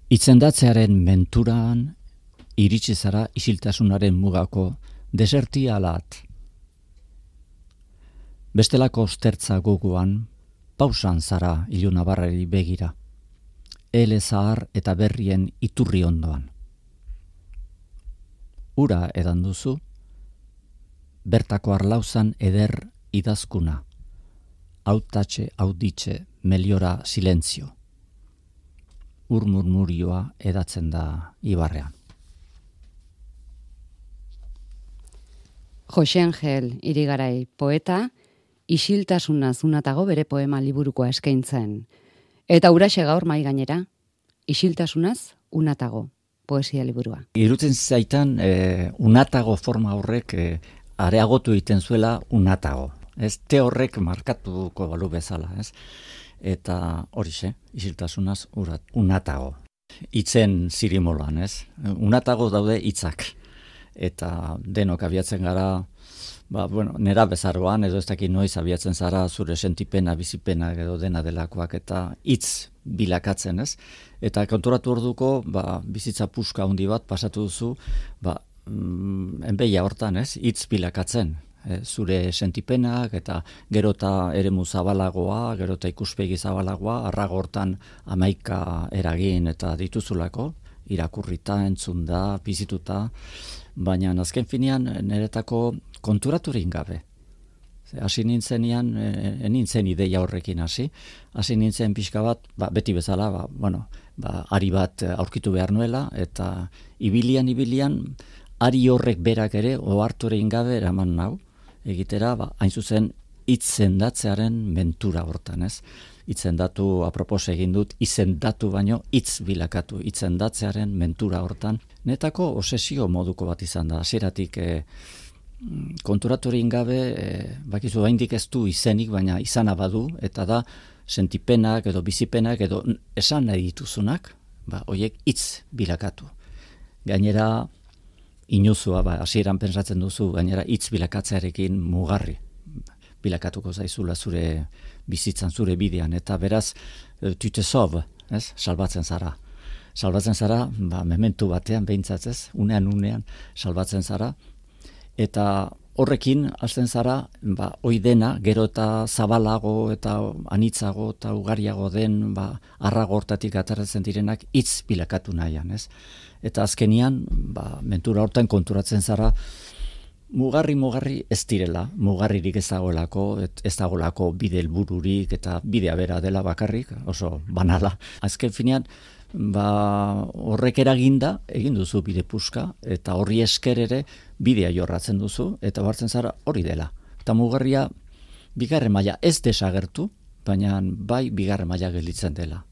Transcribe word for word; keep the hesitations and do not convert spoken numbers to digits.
Itzendatzearen menturan iritsi zara isiltasunaren mugako desertia alat. Bestelako ostertza gogoan pausan zara ilunabarrari begira. Ele zahar eta berrien iturri ondoan. Ura edan duzu, bertako arlauzan eder idazkuna. Autatxe, auditxe, meliora silentzio. Ur murmurioa edatzen da ibarrean. Jose Angel Irigarai poeta, isiltasuna zunatago bere poema liburukoa eskaintzen. Eta huraxe gaur mai gainera, isiltasunaz unatago poesia liburua. Irutzen zaitan e, unatago forma horrek e, areagotu egiten zuela unatago. Ez te horrek markatuko balu bezala, ez? Eta horixe, isiltasunaz urat, unatago. Itzen zirimoloan, ez? Unatago daude hitzak. Eta denok abiatzen gara, ba, bueno, nera bezaroan, edo ez dakit noiz abiatzen zara zure sentipena, bizipena edo dena delakoak, eta hitz bilakatzen, ez? Eta konturatu orduko, ba, bizitza puska handi bat pasatu duzu, ba, mm, enbeia hortan, ez? Hitz bilakatzen. E, zure sentipenak eta gerota eremu zabalagoa, gerota ikuspegi zabalagoa, arrago hortan hamaika eragin eta dituzulako, irakurrita, entzunda, bizituta, baina azken finean niretako konturaturin gabe. Hasi nintzenean, e, nintzen ideia horrekin hasi, hasi nintzen pixka bat, ba, beti bezala, ba, bueno, ba, ari bat aurkitu behar nuela, eta ibilian, ibilian, ari horrek berak ere, oharturein gabe eraman nau, egitera, ba, hain zuzen, hitzendatzearen mentura hortan, ez? Hitzendatu apropos egin dut, izendatu baino hitz bilakatu, hitzendatzearen mentura hortan. Netako obsesio moduko bat izan da, hasieratik e, konturaturin gabe, e, bakizu haindik ez du izenik, baina izana badu, eta da sentipenak edo bizipenak edo esan nahi dituzunak, ba, hoiek hitz bilakatu. Gainera, inuzua, ba, hasieran pentsatzen duzu, gainera hitz bilakatzearekin mugarri bilakatuko zaizula zure bizitzan, zure bidean, eta beraz, tu te sauves, ez? Salbatzen zara. Salbatzen zara, ba, mementu batean behintzat, ez? Unean, unean, salbatzen zara, eta horrekin hasten zara, ba, hoi dena, gero eta zabalago eta anitzago eta ugariago den, ba, arrago hortatik ateratzen direnak hitz bilakatu nahian, ez? Eta azkenian, ba, mentura hortan konturatzen zara, mugarri mugarri ez direla, mugarririk ez dagoelako, ez dagoelako bide helbururik eta bidea bera dela bakarrik, oso banala. Azken finean, ba, horrek eraginda, egin duzu bide puska, eta horri esker ere bidea jorratzen duzu, eta hartzen zara hori dela. Eta mugarria bigarren maila ez desagertu, baina bai bigarren maila gelditzen dela.